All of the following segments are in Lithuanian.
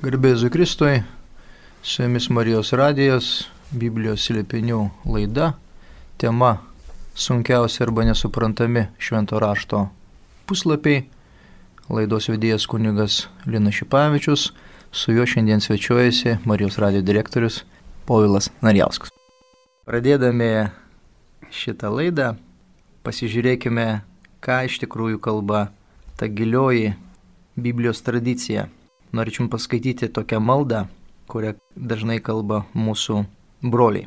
Garbė Jėzui Kristui, su jumis Marijos radijas, Biblijos slėpinių laida, tema sunkiausi arba nesuprantami švento rašto puslapiai, laidos vedėjas kunigas Linas Šipavičius, su juo šiandien svečiuojasi Marijos radijo direktorius Povilas Narjauskas. Pradėdami šitą laidą, pasižiūrėkime, ką iš tikrųjų kalba ta gilioji Biblijos tradicija. Norėčiau paskaityti tokią maldą, kurią dažnai kalba mūsų broliai.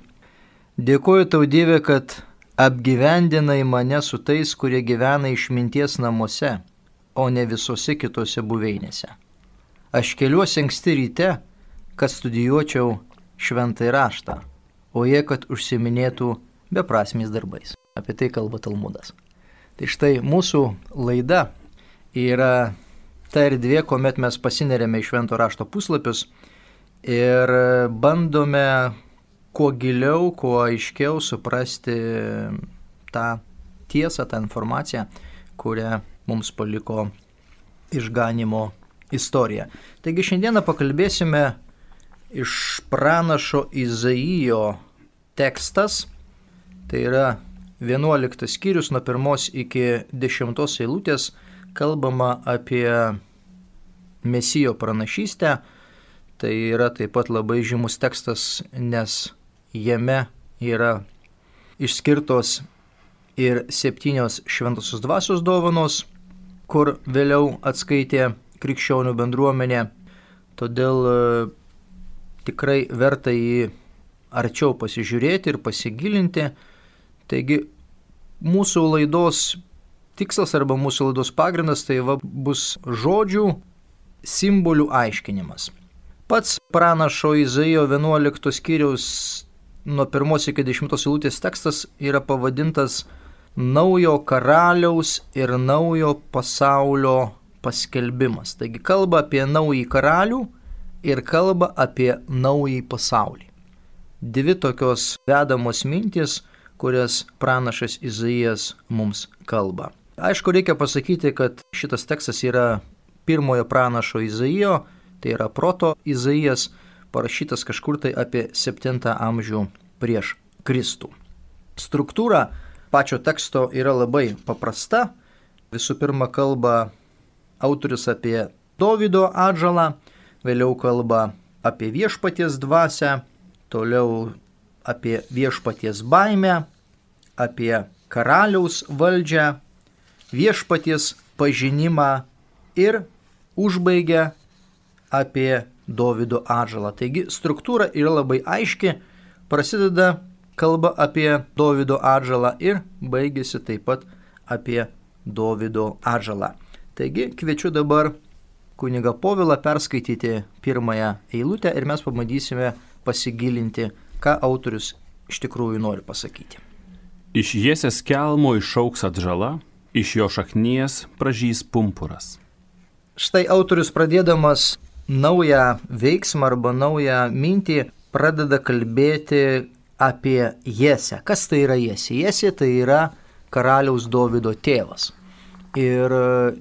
Dėkoju tau, Dieve, kad apgyvendinai mane su tais, kurie gyvena išminties namuose, o ne visose kitose buveinėse. Aš keliuosi anksti ryte, kad studijuočiau šventąjį raštą, o jie, kad užsiminėtų beprasmiais darbais. Apie tai kalba Talmudas. Tai štai mūsų laida yra ta erdvė, kuomet mes pasinerėme į švento rašto puslapius ir bandome kuo giliau, kuo aiškiau suprasti tą tiesą, tą informaciją, kurią mums paliko išganimo istorija. Taigi šiandieną pakalbėsime iš pranašo Izaijo tekstas, tai yra 11 skyrius nuo 1 iki 10 eilutės, kalbama apie Mesijo pranašystę. Tai yra taip pat labai žymus tekstas, nes jame yra išskirtos ir 7 šventosios dvasios dovanos, kur vėliau atskaitė krikščionių bendruomenė. Todėl tikrai verta jį arčiau pasižiūrėti ir pasigilinti. Taigi mūsų laidos tikslas arba mūsų laidos pagrindas tai bus žodžių, simbolių aiškinimas. Pats pranašo Izaijo 11 skyriaus nuo 1 iki 10 eilutės tekstas yra pavadintas naujo karaliaus ir naujo pasaulio paskelbimas. Taigi kalba apie naująjį karalių ir kalba apie naująjį pasaulį. Dvi tokios vedamos mintys, kurias pranašas Izaijas mums kalba. Aišku, reikia pasakyti, kad šitas tekstas yra pirmojo pranašo Izaijo, tai yra proto Izaijas, parašytas kažkur tai apie 7 amžių prieš Kristų. Struktūra pačio teksto yra labai paprasta. Visų pirma, kalba autorius apie Dovydo atžalą, vėliau kalba apie viešpaties dvasią, toliau apie viešpaties baimę, apie karaliaus valdžią, viešpaties pažinimą ir užbaigia apie Dovydo atžalą. Taigi struktūra yra labai aiški, prasideda kalba apie Dovydo atžalą ir baigėsi taip pat apie Dovydo atžalą. Taigi kviečiu dabar kunigą Povilą perskaityti pirmąją eilutę ir mes pabandysime pasigilinti, ką autorius iš tikrųjų nori pasakyti. Iš Jesės kelmo išaugs atžala, iš jo šaknies pražys pumpuras. Štai autorius pradėdamas naują veiksmą arba naują mintį pradeda kalbėti apie Jesę. Kas tai yra Jesė? Jesė tai yra karaliaus Dovydo tėvas. Ir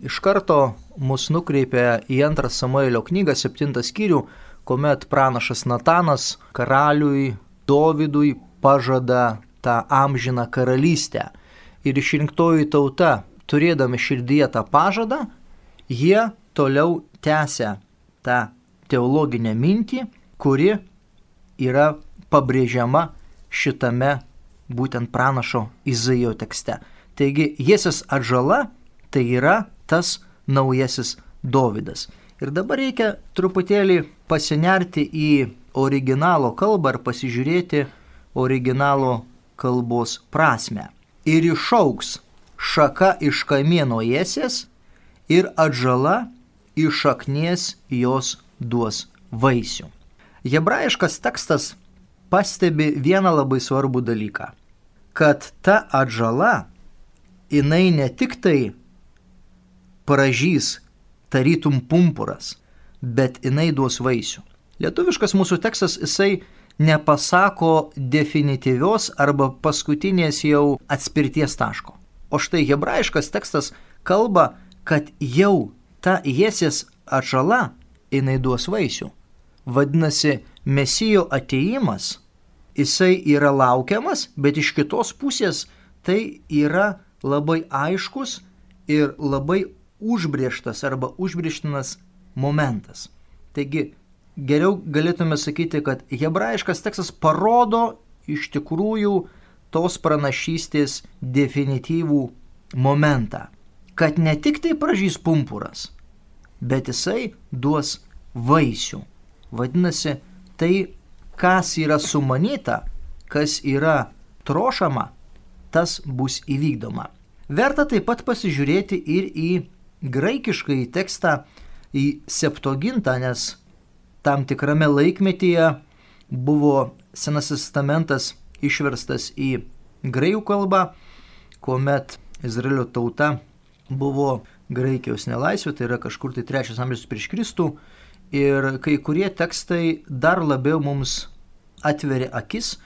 iš karto mus nukreipia į 2 Samuelio knygą 7 skyrių, kuomet pranašas Natanas karaliui Dovydui pažada tą amžiną karalystę. Ir išrinktoji tauta, turėdami širdyje tą pažadą, jie toliau tęsia tą teologinę mintį, kuri yra pabrėžiama šitame būtent pranašo Izaijo tekste. Taigi Jesės atžala tai yra tas naujasis Dovydas. Ir dabar reikia truputėlį pasinerti į originalo kalbą ir pasižiūrėti originalo kalbos prasmę. Ir išaugs šaka iš kamieno Jesės ir atžala iš šaknies jos duos vaisių. Hebrajiškas tekstas pastebi vieną labai svarbų dalyką, kad ta atžala, jinai ne tik tai pražys tarytum pumpuras, bet jinai duos vaisių. Lietuviškas mūsų tekstas, jisai nepasako definityvios arba paskutinės jau atspirties taško. O štai hebrajiškas tekstas kalba, kad jau ta Jesės atžala jinai duos vaisių. Vadinasi, Mesijo atėjimas, jisai yra laukiamas, bet iš kitos pusės tai yra labai aiškus ir labai užbrėžtas arba užbrėžtinas momentas. Taigi, geriau galėtume sakyti, kad hebrajiškas tekstas parodo iš tikrųjų tos pranašystės definityvų momentą, kad ne tik tai pražys pumpuras, bet jisai duos vaisių. Vadinasi, tai, kas yra sumanyta, kas yra trošama, tas bus įvykdoma. Verta taip pat pasižiūrėti ir į graikiškąjį tekstą, į Septuagintą, nes tam tikrame laikmetyje buvo Senasis testamentas išverstas į graikų kalbą, kuomet Izraelio tauta buvo Graikijos nelaisvė, tai yra kažkur tai 3 amžius prieš Kristų, ir kai kurie tekstai dar labiau mums atveria akis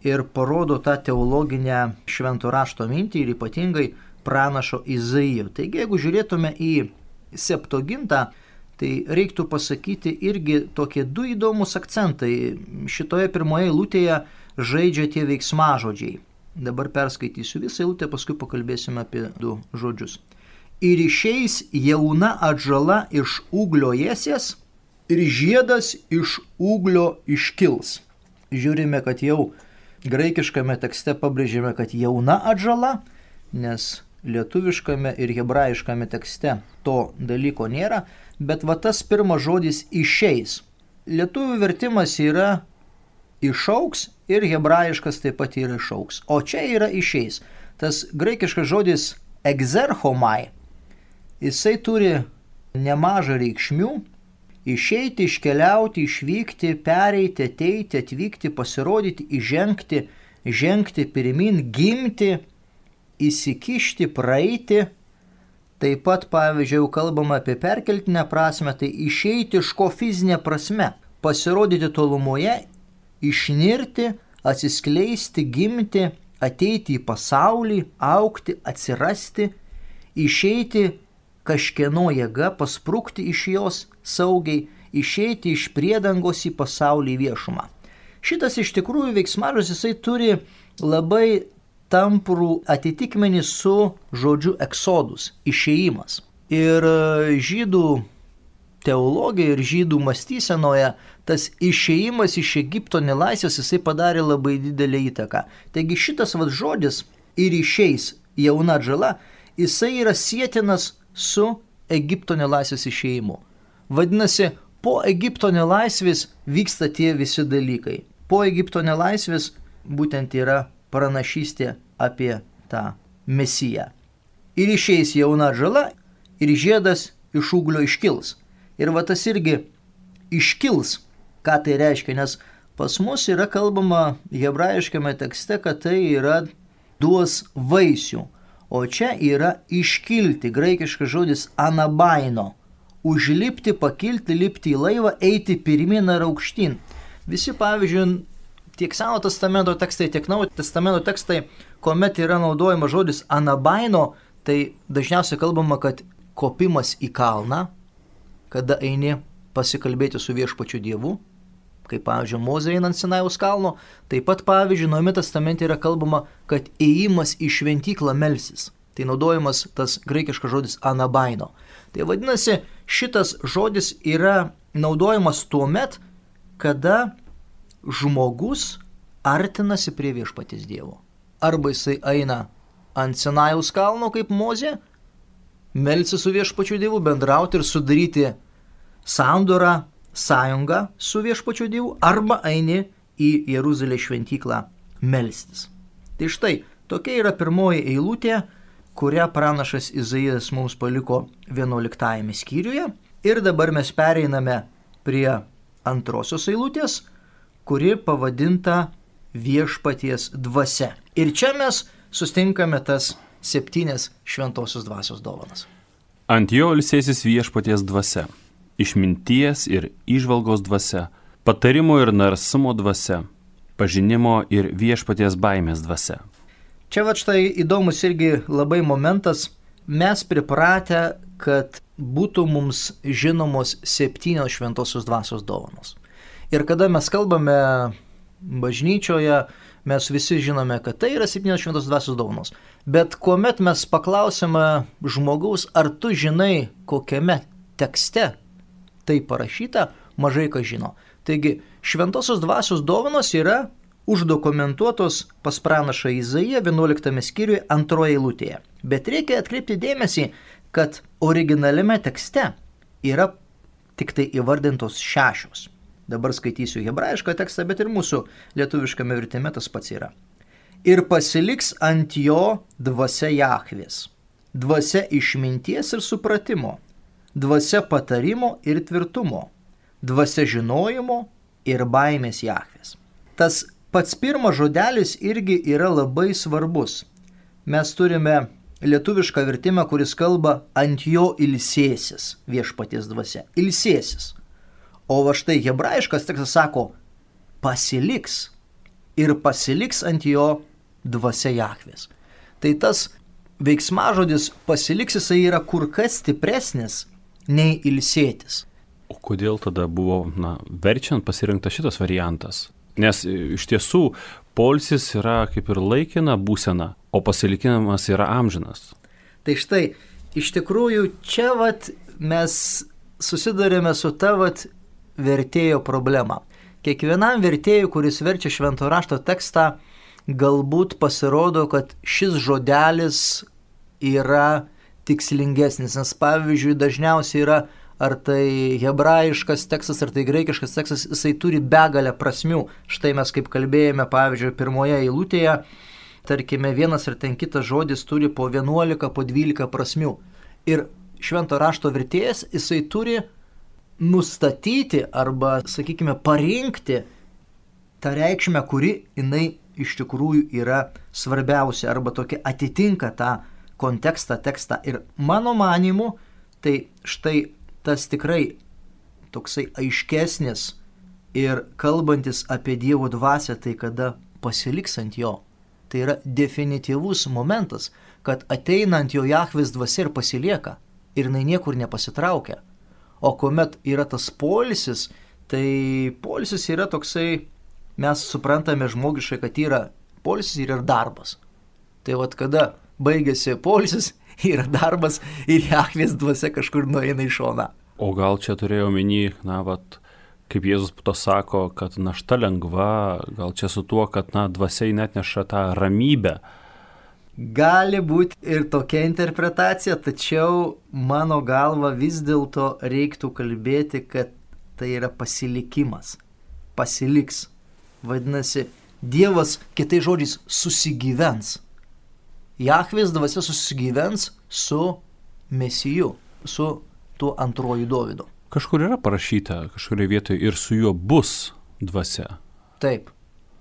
ir parodo tą teologinę švento rašto mintį ir ypatingai pranašo Izaijo. Taigi, jeigu žiūrėtume į Septuagintą, tai reiktų pasakyti irgi tokie 2 įdomus akcentai. Šitoje pirmoje eilutėje žaidžia tie veiksmažodžiai. Dabar perskaitysiu visą eilutę, paskui pakalbėsime apie 2 žodžius. Ir išeis jauna atžala iš ūglio ėsies, ir žiedas iš ūglio iškils. Žiūrime, kad jau graikiškame tekste pabrėžėme, kad jauna atžala, nes lietuviškame ir hebrajiškame tekste to dalyko nėra, bet va tas pirmas žodis išeis. Lietuvių vertimas yra išauks ir hebrajiškas taip pat yra išauks, o čia yra išeis. Tas graikiškas žodis exerchomai, jisai turi nemažą reikšmių. Išeiti, iškeliauti, išvykti, pereiti, ateiti, atvykti, pasirodyti, įžengti, žengti pirmin, gimti, įsikišti, praeiti. Taip pat, pavyzdžiui, jau kalbama apie perkeltinę prasme, tai išeiti iš ko fizinė prasme, pasirodyti tolumoje, išnirti, atsiskleisti, gimti, ateiti į pasaulį, augti, atsirasti, išeiti kažkieno jėga, pasprukti iš jos saugiai, išeiti iš priedangos į pasaulį viešumą. Šitas iš tikrųjų veiksmažodis, jisai turi labai tamprų atitikmenį su žodžiu eksodus, išėjimas. Ir žydų teologija ir žydų mąstysenoje tas išėjimas iš Egipto nelaisvės, jisai padarė labai didelę įtaką. Taigi šitas žodis ir išeis jauna atžala, jisai yra sietinas su Egipto nelaisvės išėjimu. Vadinasi, po Egipto nelaisvės vyksta tie visi dalykai. Po Egipto nelaisvės būtent yra pranašystė apie tą Mesiją. Ir išeis jauna atžala, ir žiedas iš ūglio iškils. Ir va tas irgi iškils, ką tai reiškia, nes pas mus yra kalbama hebrajiškame tekste, kad tai yra duos vaisių. O čia yra iškilti, graikiškas žodis anabaino. Užlipti, pakilti, lipti į laivą, eiti pirmin ar aukštyn. Visi, pavyzdžiui, tiek Seno testamento tekstai, tiek Naujojo testamento tekstai, kuomet yra naudojama žodis anabaino, tai dažniausiai kalbama, kad kopimas į kalną, kada eini pasikalbėti su viešpačiu Dievu, kaip pavyzdžiui Mozė einant Sinajaus kalno, taip pat pavyzdžiui Naujame testamente yra kalbama, kad ėjimas į šventyklą melsis. Tai naudojamas tas graikiškas žodis anabaino. Tai vadinasi, šitas žodis yra naudojamas tuomet, kada žmogus artinasi prie viešpaties Dievo. Arba jisai eina ant Sinajaus kalno kaip Mozė, melsis su viešpačiu Dievu, bendrauti ir sudaryti sandorą, sąjungą su viešpačiu Dievu, arba eini į Jeruzalės šventyklą melstis. Tai štai, tokia yra pirmoji eilutė, kurią pranašas Izaijas mums paliko 11 skyriuje. Ir dabar mes pereiname prie antrosios eilutės, kuri pavadinta viešpaties dvasia. Ir čia mes sustinkame tas 7 šventosios dvasios dovanas. Ant jo ilsėsis viešpaties dvasia. Išminties ir įžvalgos dvasia, patarimo ir narsumo dvasia, pažinimo ir viešpaties baimės dvasia. Čia štai įdomus irgi labai momentas. Mes pripratę, kad būtų mums žinomos 7 šventosios dvasios dovanos. Ir kada mes kalbame bažnyčioje, mes visi žinome, kad tai yra 7 šventos dvasios dovanos. Bet kuomet mes paklausime žmogaus, ar tu žinai, kokiame tekste tai parašyta, mažai kas žino. Taigi, šventosios dvasios dovanos yra uždokumentuotos pas pranašą Izaiją 11 skyriuje 2 eilutėje. Bet reikia atkreipti dėmesį, kad originaliame tekste yra tik tai įvardintos 6. Dabar skaitysiu hebrajišką tekstą, bet ir mūsų lietuviškame vertime tas pats yra. Ir pasiliks ant jo dvasia Jahvės, dvasia išminties ir supratimo, dvasia patarimo ir tvirtumo, dvasia žinojimo ir baimės Jahvės. Tas pats pirmas žodelis irgi yra labai svarbus. Mes turime lietuvišką vertimą, kuris kalba ant jo ilsėsis viešpaties dvasia. Ilsėsis. O va štai hebrajiškas tekstas sako pasiliks ir pasiliks ant jo dvasia Jahvės. Tai tas veiksmažodis pasiliks, jisai yra kur kas stipresnis nei ilsėtis. O kodėl tada buvo, verčiant pasirinktas šitas variantas? Nes iš tiesų poilsis yra kaip ir laikina būsena, o pasilikimas yra amžinas. Tai štai, iš tikrųjų, čia mes susidurėme su ta vertėjo problema. Kiekvienam vertėjui, kuris verčia švento rašto tekstą, galbūt pasirodo, kad šis žodelis yra tikslingesnis. Nes pavyzdžiui, dažniausiai yra ar tai hebrajiškas tekstas, ar tai graikiškas tekstas, jisai turi begalę prasmių. Štai mes kaip kalbėjome, pavyzdžiui, pirmoje eilutėje, tarkime, vienas ar ten kitas žodis turi po 11, po 12 prasmių. Ir švento rašto vertėjas, jisai turi nustatyti arba, sakykime, parinkti tą reikšmę, kuri jinai iš tikrųjų yra svarbiausia arba tokia atitinka tą kontekstą, tekstą. Ir mano manimu, tai štai tas tikrai toksai aiškesnis ir kalbantis apie Dievo dvasią, tai kada pasiliks ant jo. Tai yra definityvus momentas, kad ateina ant jo Jahvės dvasia ir pasilieka ir jinai niekur nepasitraukia. O kuomet yra tas poilsis, tai poilsis yra toksai, mes suprantame žmogiškai, kad yra poilsis ir yra darbas. Tai kada baigėsi poilsis, yra darbas ir Jahvės dvasia kažkur nueina į šoną. O gal čia turėjau omeny, kaip Jėzus to sako, kad našta lengva, gal čia su tuo, kad dvasia net neša tą ramybę. Gali būti ir tokia interpretacija, tačiau mano galva vis dėlto reiktų kalbėti, kad tai yra pasilikimas. Pasiliks. Vadinasi, Dievas, kitais žodžiais, susigyvens. Jahvės dvasia susigyvens su Mesiju, su tuo antruoju Dovydu. Kažkur yra parašyta, kažkurioje vietoje ir su juo bus dvasia. Taip,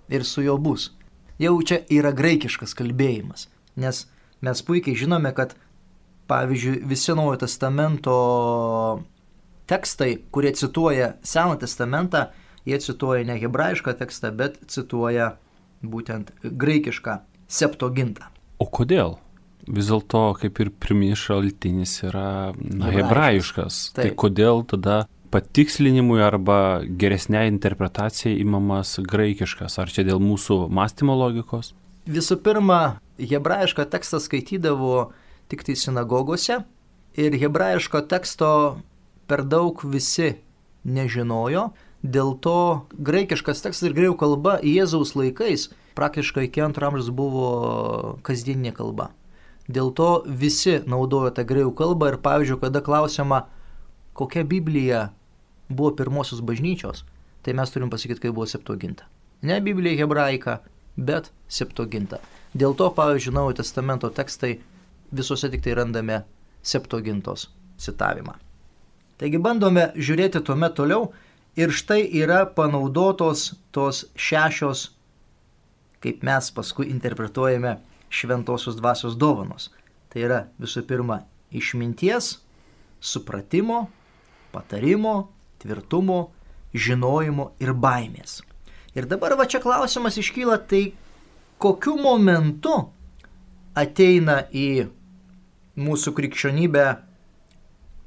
ir su juo bus. Jau čia yra graikiškas kalbėjimas. Nes mes puikiai žinome, kad, pavyzdžiui, visi Naujojo testamento tekstai, kurie cituoja Seną testamentą, jie cituoja ne hebrajišką tekstą, bet cituoja būtent graikišką Septuagintą. O kodėl? Vis dėlto, kaip ir pirminis šaltinis yra hebrajiškas. Tai kodėl tada patikslinimui arba geresniai interpretacijai imamas graikiškas? Ar čia dėl mūsų mąstymo logikos? Visų pirma, hebrajišką tekstą skaitydavo tik tai sinagogose ir hebrajiško teksto per daug visi nežinojo. Dėl to graikiškas tekstas ir graikų kalba Jėzaus laikais praktiškai iki 2 amžiaus buvo kasdieninė kalba. Dėl to visi naudojo tą graikų kalbą ir, pavyzdžiui, kada klausiama, kokia Biblija buvo pirmosios bažnyčios, tai mes turim pasakyti, kai buvo Septuaginta. Ne Biblija hebraika, bet Septuaginta. Dėl to, pavyzdžiui, Naujojo testamento tekstai visuose tik tai randame Septuagintos citavimą. Taigi bandome žiūrėti tuomet toliau ir štai yra panaudotos tos 6, kaip mes paskui interpretuojame, šventosios dvasios dovanos. Tai yra visų pirma išminties, supratimo, patarimo, tvirtumo, žinojimo ir baimės. Ir dabar čia klausimas iškyla, tai kokiu momentu ateina į mūsų krikščionybę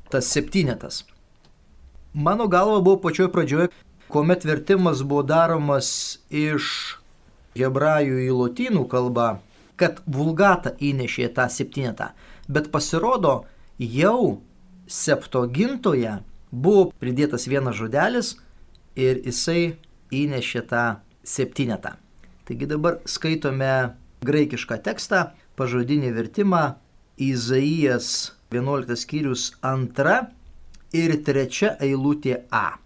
tas 7. Mano galva buvo pačioje pradžioje, kuomet vertimas buvo daromas iš hebrajų į lotynų kalbą, kad vulgata įnešė tą 7, bet pasirodo, jau Septuagintoje buvo pridėtas vienas žodelis ir jisai įnešė tą 7. Taigi dabar skaitome graikišką tekstą, pažodinį vertimą, Izaijas 11 skyrius 2 ir 3 eilutė A.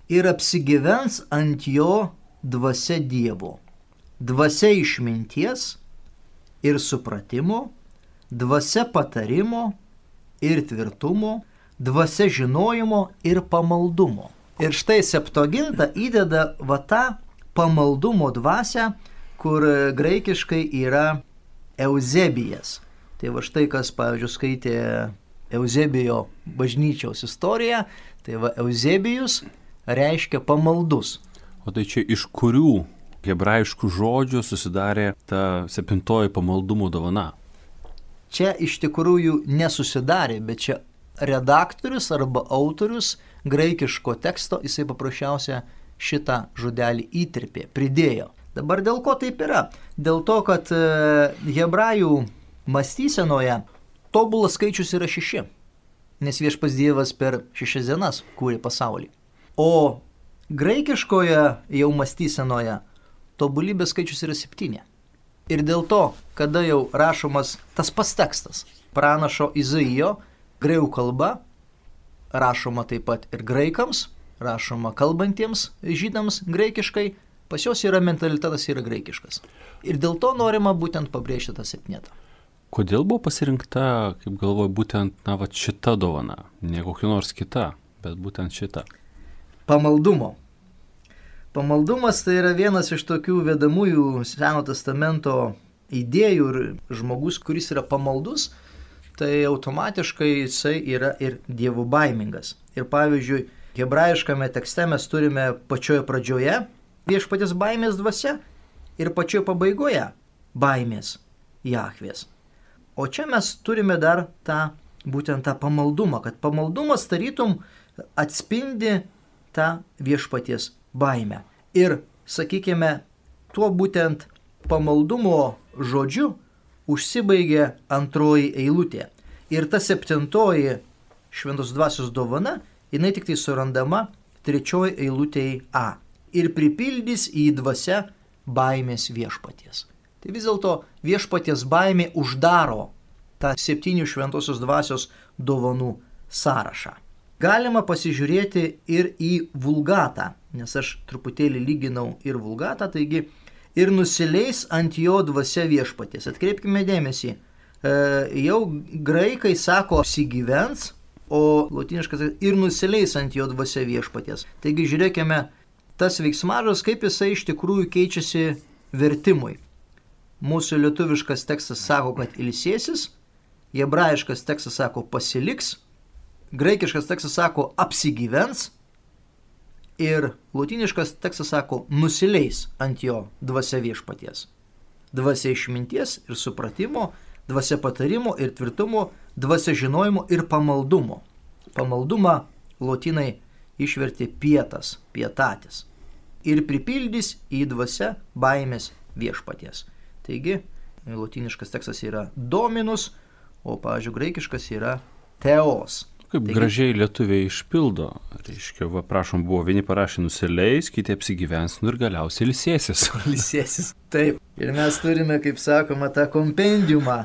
Ir apsigyvens ant jo dvasia Dievo, dvasia išminties ir supratimo, dvasia patarimo ir tvirtumo, dvasia žinojimo ir pamaldumo. Ir štai Septuaginta įdeda va tą pamaldumo dvasią, kur graikiškai yra Euzebijas. Tai va štai kas, pavyzdžiui, skaitė Euzebijo bažnyčiaus istoriją, tai va Euzebijus reiškia pamaldus. O tai čia iš kurių hebrajiškų žodžių susidarė ta 7 pamaldumo dovana? Čia iš tikrųjų nesusidarė, bet čia redaktorius arba autorius graikiško teksto, jisai paprasčiausia šitą žodelį įterpė, pridėjo. Dabar dėl ko taip yra? Dėl to, kad hebrajų mąstysenoje tobulas skaičius yra 6, nes Viešpats Dievas per 6 dienas kūrė pasaulį. O graikiškoje jau mąstysenoje tobulybės skaičius yra 7. Ir dėl to, kada jau rašomas tas pats tekstas, pranašo Izaijo, graikų kalba, rašoma taip pat ir graikams, rašoma kalbantiems žydams graikiškai, pas juos yra mentalitetas yra graikiškas. Ir dėl to norima būtent pabrėžti tą 7. Kodėl buvo pasirinkta, kaip galvoju, būtent šita dovana, ne kokia nors kita, bet būtent šita? Pamaldumo. Pamaldumas tai yra vienas iš tokių vedamųjų Seno testamento idėjų ir žmogus, kuris yra pamaldus, tai automatiškai jisai yra ir dievų baimingas. Ir pavyzdžiui, hebrajiškame tekste mes turime pačioje pradžioje Viešpaties baimės dvasia ir pačioje pabaigoje baimės Jahvės. O čia mes turime dar būtent tą pamaldumą, kad pamaldumas tarytum atspindi tą Viešpaties baimę. Ir, sakykime, tuo būtent pamaldumo žodžiu užsibaigė 2 eilutė. Ir ta 7 šventos dvasios dovana, jinai tik tai surandama 3 eilutėje A. Ir pripildys į dvasią baimės Viešpaties. Tai vis dėlto Viešpaties baimė uždaro tą 7 šventosios dvasios dovanų sąrašą. Galima pasižiūrėti ir į vulgatą, nes aš truputėlį lyginau ir vulgatą, taigi ir nusileis ant jo dvasia Viešpaties. Atkreipkime dėmesį, jau graikai sako apsigyvens, o lotyniškas ir nusileis ant jo dvasia Viešpaties. Taigi žiūrėkime, tas veiksmažodis, kaip jisai iš tikrųjų keičiasi vertimui. Mūsų lietuviškas tekstas sako, kad ilsėsis, hebrajiškas tekstas sako pasiliks, graikiškas tekstas sako apsigyvens ir lotyniškas tekstas sako nusileis ant jo dvasia Viešpaties. Dvasia išminties ir supratimo, dvasia patarimo ir tvirtumo, dvasia žinojimo ir pamaldumo. Pamaldumą lotynai išvertė pietas, pietatis. Ir pripildys į dvasia baimės Viešpaties. Taigi, lotyniškas tekstas yra dominus, o, pavyzdžiui, graikiškas yra teos. Kaip gražiai lietuviai išpildo. Reiškia, prašom, buvo vieni parašė nusileis, kiti apsigyvens, ir galiausiai ilsėsis. Ilsėsis, taip. Ir mes turime, kaip sakoma, tą kompendiumą,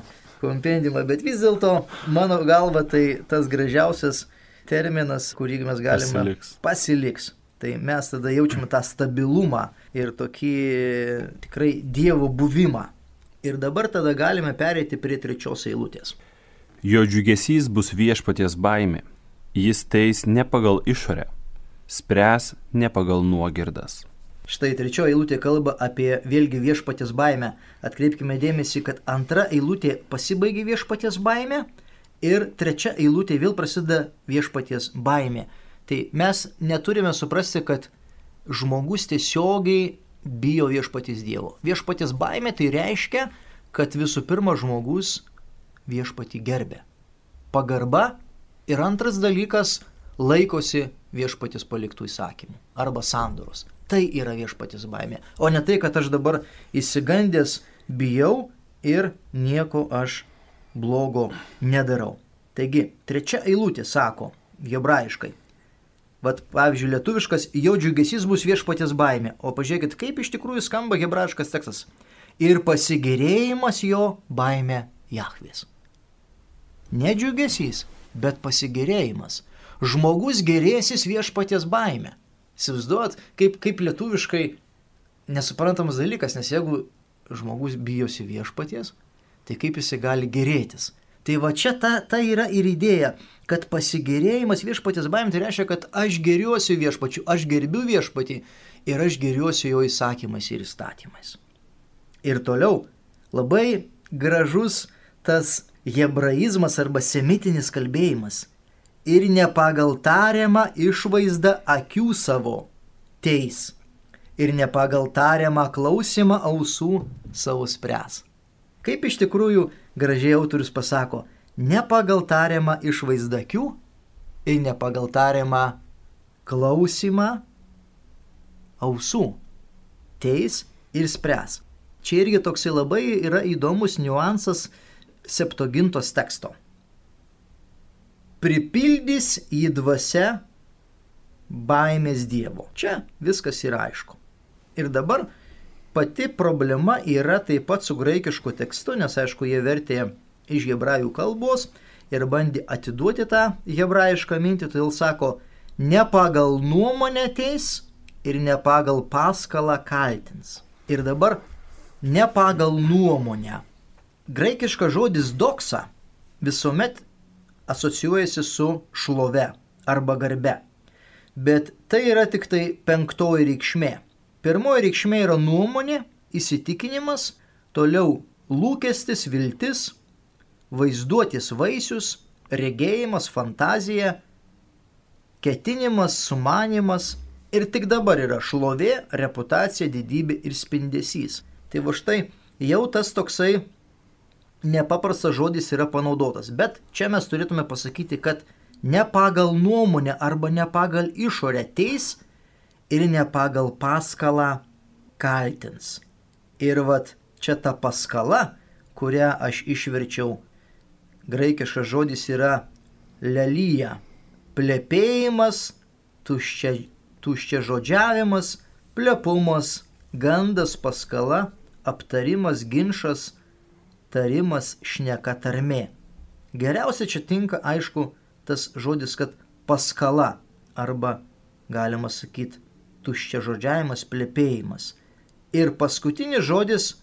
bet vis dėlto, mano galva, tai tas gražiausias terminas, kurį mes galime pasiliks. Tai mes tada jaučiame tą stabilumą ir tokį tikrai Dievo buvimą. Ir dabar tada galime pereiti prie 3 eilutės. Jo džiugesys bus Viešpaties baimė. Jis teis ne pagal išorę, spręs ne pagal nuogirdas. Štai 3 eilutė kalba apie vėlgi Viešpaties baimę. Atkreipkime dėmesį, kad 2 eilutė pasibaigė Viešpaties baimė ir 3 eilutė vėl prasideda Viešpaties baimė. Tai mes neturime suprasti, kad žmogus tiesiogiai bijo Viešpaties Dievo. Viešpaties baimė tai reiškia, kad visų pirma žmogus Viešpatį gerbė. Pagarba ir antras dalykas laikosi viešpaties paliktų įsakymų arba sandoros. Tai yra viešpaties baimė, o ne tai, kad aš dabar įsigandęs bijau ir nieko aš blogo nedarau. Taigi, 3 eilutė sako hebrajiškai. Vat, pavyzdžiui, lietuviškas, jo džiugesys bus viešpaties baimė. O pažiūrėkit, kaip iš tikrųjų skamba hebrajiškas tekstas. Ir pasigėrėjimas jo baimė Jahvės. Ne džiugesys, bet pasigėrėjimas. Žmogus gėrėsis viešpaties baimė. Įsivaizduot, kaip lietuviškai nesuprantamas dalykas, nes jeigu žmogus bijosi viešpaties, tai kaip jisai gali gėrėtis. Tai va čia ta yra ir idėja, kad pasigėrėjimas viešpaties baimė, tai reiškia, kad aš gėriuosi viešpačiu, aš gerbiu viešpatį ir aš gėriuosi jo įsakymais ir įstatymais. Ir toliau labai gražus tas hebraizmas arba semitinis kalbėjimas. Ir ne pagal tariamą išvaizdą akių savo teis. Ir ne pagal tariamą klausimą ausų savo spręs. Kaip iš tikrųjų gražiai autorius pasako, ne pagal tariamą išvaizdą akių ir ne pagal tariamą klausimą ausų teis ir spręs. Čia irgi toksai labai yra įdomus niuansas Septuagintos teksto. Pripildys į dvasia baimės Dievo. Čia viskas yra aišku. Ir dabar pati problema yra taip pat su graikišku tekstu, nes aišku, jie vertė iš hebrajų kalbos ir bandė atiduoti tą hebrajišką mintį, todėl sako, ne pagal nuomonę teis ir ne pagal paskalą kaltins. Ir dabar ne pagal nuomonę. Graikiškas žodis doksa visuomet asocijuojasi su šlove arba garbe. Bet tai yra tik tai 5 reikšmė. 1 reikšmė yra nuomonė, įsitikinimas, toliau lūkestis, viltis, vaizduotės vaisius, regėjimas, fantazija, ketinimas, sumanimas ir tik dabar yra šlovė, reputacija, didybė ir spindesys. Tai va štai jau tas toksai nepaprastas žodis yra panaudotas, bet čia mes turėtume pasakyti, kad ne pagal nuomonę arba ne pagal išorę teis ir ne pagal paskalą kaltins. Ir vat čia ta paskala, kurią aš išverčiau, graikiškas žodis yra lelyja, plepėjimas, tuščiažodžiavimas, plepumas, gandas, paskala, aptarimas, ginčas, tarimas, šneka, tarmė. Geriausia čia tinka, aišku, tas žodis, kad paskala, arba galima sakyti tuščiažodžiavimas, plepėjimas. Ir paskutinis žodis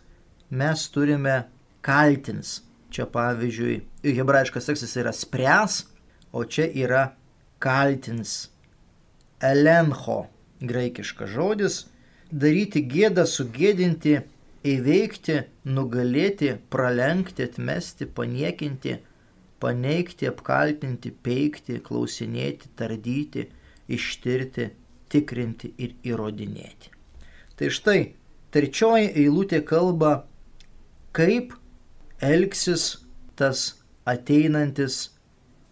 mes turime kaltins. Čia pavyzdžiui, hebrajiškas tekstas yra spręs, o čia yra kaltins. Elencho, graikiškas žodis, daryti gėdą, sugėdinti, įveikti, nugalėti, pralenkti, atmesti, paniekinti, paneigti, apkaltinti, peikti, klausinėti, tardyti, ištirti, tikrinti ir įrodinėti. Tai štai, 3 eilutė kalba, kaip elgsis tas ateinantis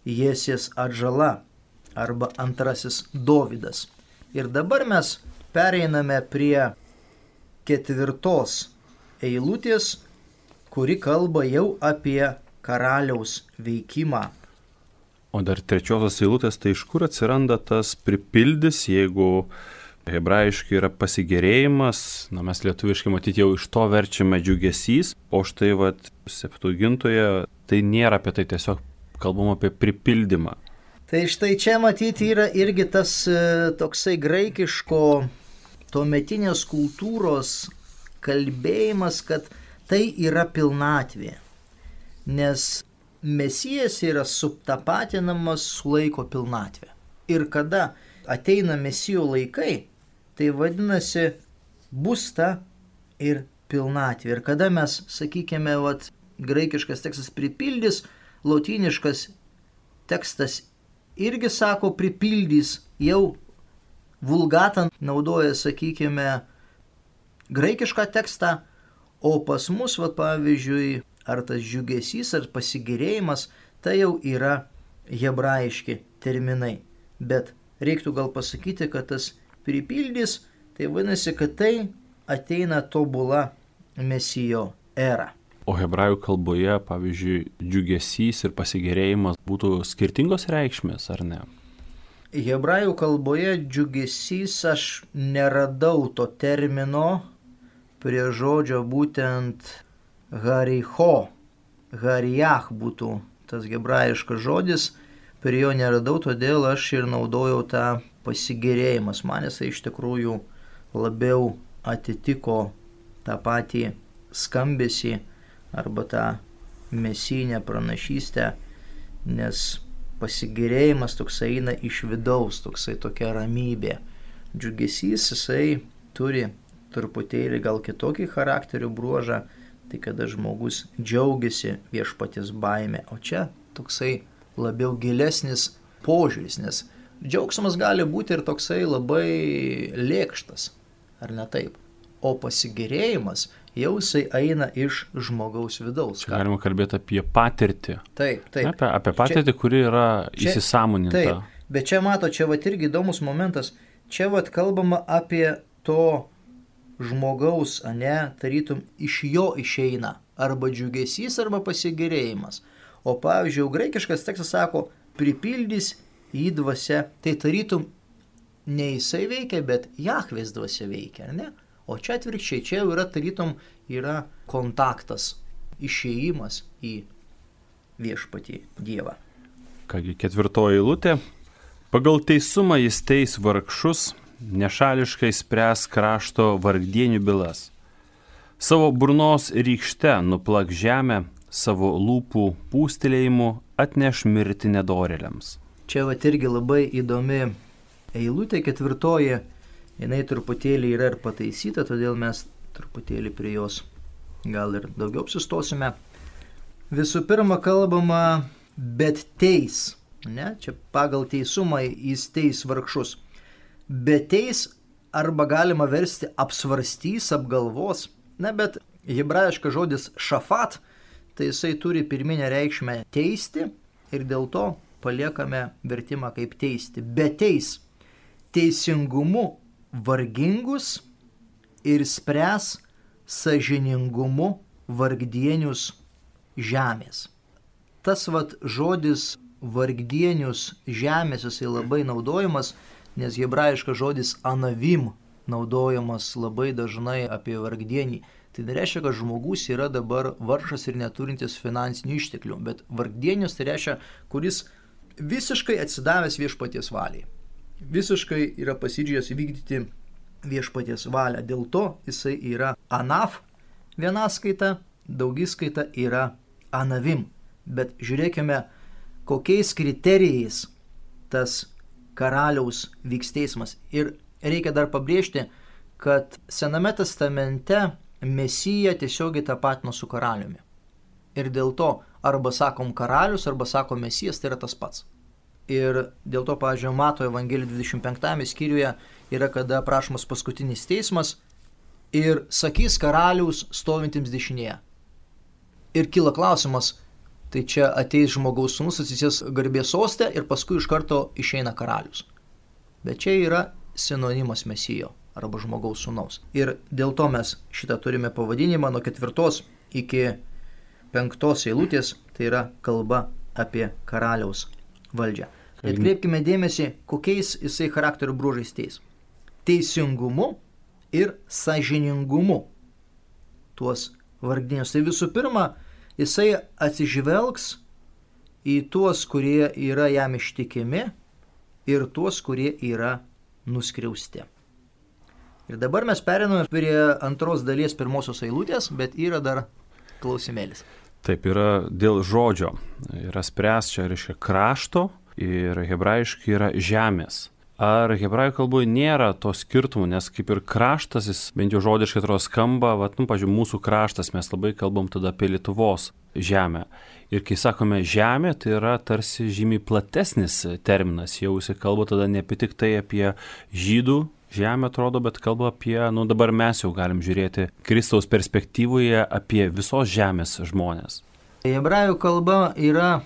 Jesės atžala arba antrasis Dovydas. Ir dabar mes pereiname prie 4 eilutės, kuri kalba jau apie karaliaus veikimą. O dar 3 eilutės, tai iš kur atsiranda tas pripildys, jeigu hebrajiškai yra pasigėrėjimas, mes lietuviškai matyti jau iš to verčiame džiugesys, o štai Septuagintoje tai nėra apie tai, tiesiog kalbam apie pripildymą. Tai štai čia matyti yra irgi tas toksai graikiško tuometinės kultūros kalbėjimas, kad tai yra pilnatvė, nes Mesijas yra subtapatinamas su laiko pilnatvė. Ir kada ateina Mesijo laikai, tai vadinasi bus ta ir pilnatvė. Ir kada mes, sakykime, graikiškas tekstas pripildys, lotyniškas tekstas irgi sako pripildys, jau vulgata naudoja, sakykime, graikišką tekstą, o pas mus, pavyzdžiui, ar tas džiugesys, ar pasigėrėjimas, tai jau yra hebrajiški terminai. bet reiktų gal pasakyti, kad tas pripildys, tai vadinasi, kad tai ateina tobula Mesijo era. O hebrajų kalboje, pavyzdžiui, džiugesys ir pasigėrėjimas būtų skirtingos reikšmės, ar ne? Hebrajų kalboje džiugesys aš neradau to termino prie žodžio būtent haricho, harijach būtų tas hebrajiškas žodis, prie jo neradau, todėl aš ir naudojau tą pasigėrėjimas. Man jisai iš tikrųjų labiau atitiko tą patį skambesį arba tą mesijinę pranašystę, nes pasigėrėjimas toksai eina iš vidaus, toksai tokia ramybė. Džiugesys jisai turi truputėlį gal kitokį charakterio bruožą, tai kada žmogus džiaugiasi viešpaties baime, o čia toksai labiau gilesnis požiūris, nes džiaugsmas gali būti ir toksai labai lėkštas, ar ne taip? O pasigėrėjimas jau jisai eina iš žmogaus vidaus. Čia galima kalbėti apie patirtį. Taip. Apie patirtį, kuri yra įsisąmoninta. Taip, bet čia mato, čia vat irgi įdomus momentas, čia vat kalbama apie to žmogaus, tarytum iš jo išeina arba džiugesys, arba pasigėrėjimas. O pavyzdžiui, graikiškas tekstas sako, pripildys jį dvasia, tai tarytum ne jisai veikia, bet Jahvės dvasia veikia, ar ne? O čia atvirkščiai, čia jau yra tarytum yra kontaktas, išėjimas į viešpatį Dievą. Kągi, 4 eilutė. Pagal teisumą jis teis vargšus, nešališkai spręs krašto vargdienių bylas. Savo burnos rykšte nuplak žemę, savo lūpų pūstelėjimu atneš mirtį nedorėliams. Čia vat irgi labai įdomi eilutė, 4, jinai truputėlį yra ir pataisyta, todėl mes truputėlį prie jos gal ir daugiau apsistosime. Visų pirma kalbama, bet teis, ne? Čia pagal teisumą jis teis vargšus. Bet teis arba galima versti apsvarstys, apgalvos, ne, bet hebrajiškas žodis šafat, tai jisai turi pirminę reikšmę teisti ir dėl to paliekame vertimą kaip teisti. Bet teis teisingumu vargingus ir spręs sąžiningumu vargdienius žemės. Tas vat žodis vargdienius žemės jisai labai naudojamas, nes hebrajiškas žodis anavim naudojamas labai dažnai apie vargdienį. Tai nereiškia, kad žmogus yra dabar vargšas ir neturintis finansinių išteklių, bet vargdienius tai reiškia, kuris visiškai atsidavęs viešpaties valiai. Visiškai yra pasiryžęs vykdyti viešpaties valią. Dėl to jisai yra anaf vienaskaita, daugiskaita yra anavim. Bet žiūrėkime, kokiais kriterijais tas karaliaus vyks teismas. Ir reikia dar pabrėžti, kad Sename testamente Mesija tiesiogiai tapatino su karaliumi. Ir dėl to arba sakom karalius, arba sakom Mesijas, tai yra tas pats. Ir dėl to, pavyzdžiui, Mato Evangelijos 25 skyriuje yra, kada aprašomas paskutinis teismas ir sakys karaliaus stovintiems dešinėje. Ir kyla klausimas, tai čia ateis žmogaus sūnus, atsisės garbės soste ir paskui iš karto išeina karalius. Bet čia yra sinonimas Mesijo arba žmogaus sūnaus. Ir dėl to mes šitą turime pavadinimą nuo 4 iki 5 eilutės, tai yra kalba apie karaliaus valdžią. Atkreipkime dėmesį, kokiais jisai charakterio bruožais teis. Teisingumu ir sąžiningumu tuos vargdienius. Tai visų pirma, jisai atsižvelgs į tuos, kurie yra jam ištikimi ir tuos, kurie yra nuskriausti. Ir dabar mes periname prie antros dalies 1 eilutės, bet yra dar klausimėlis. Taip, yra dėl žodžio. Yra spręs, čia reiškia krašto ir hebrajiškai yra žemės. Ar hebrajų kalboje nėra to skirtumų, nes kaip ir kraštas, jis bent jau žodiškai atrodo skamba, pavyzdžiui, mūsų kraštas, mes labai kalbam tada apie Lietuvos žemę. Ir kai sakome žemė, tai yra tarsi žymiai platesnis terminas, jau jis kalba tada ne tik tai apie žydų žemę atrodo, bet kalba apie, dabar mes jau galim žiūrėti Kristaus perspektyvoje apie visos žemės žmonės. Hebrajų kalba yra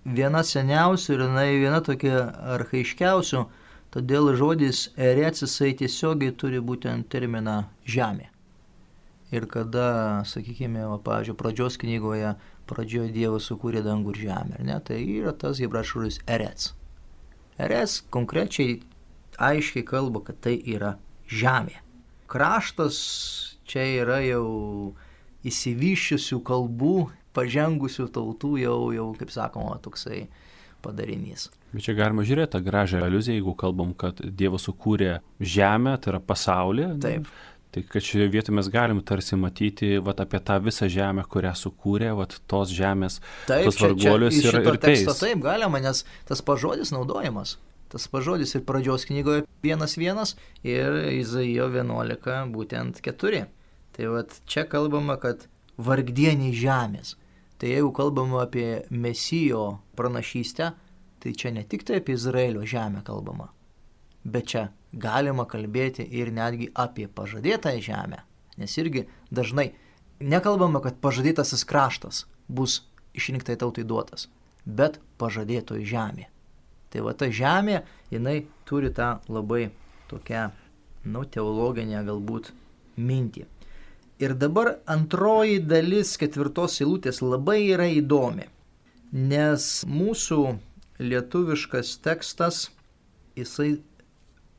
viena seniausių ir jinai viena tokia archaiškiausių, todėl žodis erec jisai tiesiogiai turi būtent terminą žemė. Ir kada, sakykime, pavyzdžiui, pradžios knygoje, pradžioje Dievas sukūrė dangų ir žemę, ar ne, tai yra tas hebrajų žodis erec. Erec konkrečiai aiškiai kalba, kad tai yra žemė. Kraštas čia yra jau įsivyščiusių kalbų, pažengusių tautų jau kaip sakoma, toksai padarinys. Bet čia galima žiūrėti tą gražią aliuziją, jeigu kalbam, kad Dievas sukūrė žemę, tai yra pasaulį. Taip. Tai kad šioje vietoje mes galim tarsi matyti apie tą visą žemę, kurią sukūrė, tos žemės, taip, tos varguolius ir teis. Taip galima, nes tas pažodis naudojamas. Tas pažodis ir pradžios knygoje 1:1 ir Izaijo 11 būtent 4. Tai čia kalbama, kad vargdieniai žemės. Tai jeigu kalbama apie Mesijo pranašystę, tai čia ne tik tai apie Izraelio žemę kalbama, bet čia galima kalbėti ir netgi apie pažadėtąją žemę. Nes irgi dažnai nekalbama, kad pažadėtasis kraštas bus išrinktai tautai duotas, bet pažadėtoji žemė. Tai ta žemė, jinai turi tą labai tokią, teologinę galbūt mintį. Ir dabar antroji dalis 4 eilutės labai yra įdomi, nes mūsų lietuviškas tekstas, jisai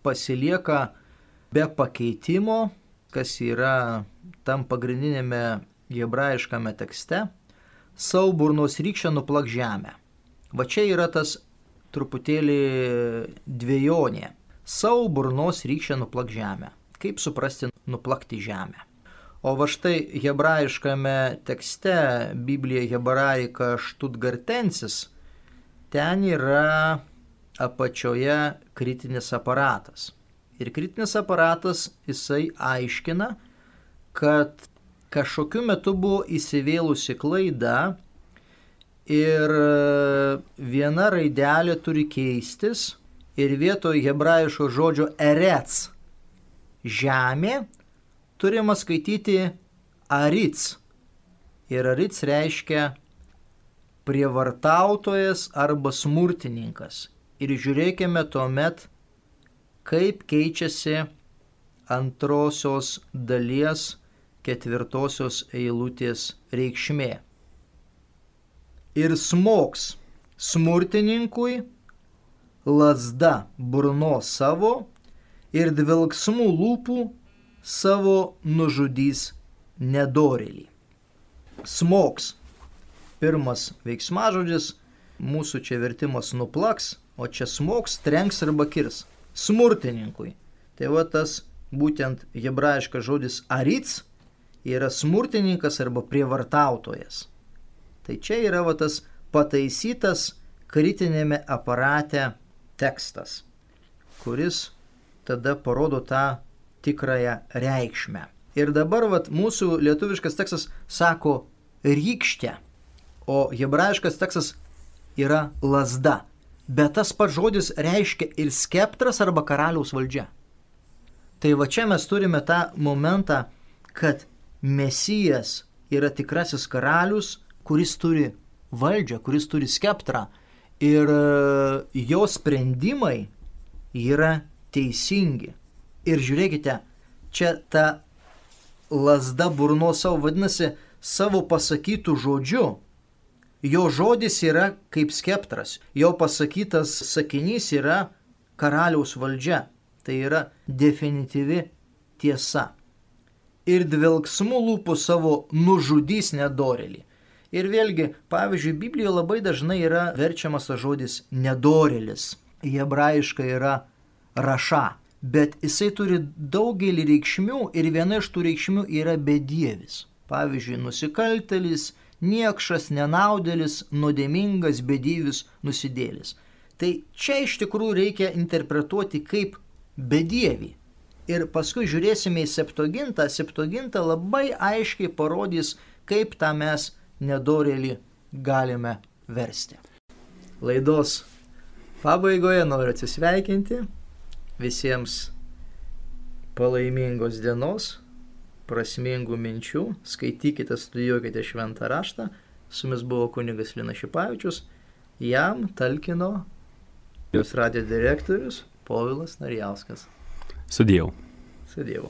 pasilieka be pakeitimo, kas yra tam pagrindinėme hebrajiškame tekste, savo burnos rykščia nuplak žemę. Va čia yra tas truputėlį dvejonė. Savo burnos rykščia nuplak žemę. Kaip suprasti nuplakti žemę? O va štai hebrajiškame tekste, Biblija hebraika Stuttgartensis, ten yra apačioje kritinis aparatas. Ir kritinis aparatas jisai aiškina, kad kažkokiu metu buvo įsivėlusi klaida ir viena raidelė turi keistis ir vietoj hebrajiško žodžio erec žemė turima skaityti aric. Ir aric reiškia prievartautojas arba smurtininkas. Ir žiūrėkime tuomet, kaip keičiasi antrosios dalies 4 eilutės reikšmė. Ir smogs smurtininkui lazda burnos savo ir dvelksmų lūpų savo nužudys nedorėlį. Smogs. Pirmas veiksmažodis, mūsų čia vertimas nuplaks, o čia smogs, trenks arba kirs. Smurtininkui. Tai tas būtent hebrajiškas žodis aric yra smurtininkas arba prievartautojas. Tai čia yra tas pataisytas kritinėme aparate tekstas, kuris tada parodo tą tikrąją reikšmę. Ir dabar mūsų lietuviškas tekstas sako rykštė, o hebrajiškas tekstas yra lazda. Bet tas pats žodis reiškia ir skeptras arba karaliaus valdžia. Tai čia mes turime tą momentą, kad Mesijas yra tikrasis karalius, kuris turi valdžią, kuris turi skeptrą. Ir jo sprendimai yra teisingi. Ir žiūrėkite, čia ta lazda burnos savo vadinasi savo pasakytų žodžiu. Jo žodis yra kaip skeptras, jo pasakytas sakinys yra karaliaus valdžia, tai yra definityvi tiesa. Ir dvelksmų lūpų savo nužudys nedorėlį. Ir vėlgi, pavyzdžiui, Biblijoje labai dažnai yra verčiamas žodis nedorėlis. Hebrajiškai yra raša, bet jisai turi daugelį reikšmių ir viena iš tų reikšmių yra bedievis. Pavyzdžiui, nusikaltėlis, niekšas, nenaudėlis, nuodėmingas, bedievis, nusidėlis. Tai čia iš tikrųjų reikia interpretuoti kaip bedievį. Ir paskui žiūrėsime į Septuagintą. Septuaginta labai aiškiai parodys, kaip tą mes nedorėlį galime versti. Laidos pabaigoje noriu atsisveikinti. Visiems palaimingos dienos, prasmingų minčių, skaitykite, studijuokite šventą raštą. Su jumis buvo kunigas Linas Šipavičius Jam talkino Jūs radijo direktorius Povilas Narijauskas. Su Dievu. Su Dievu.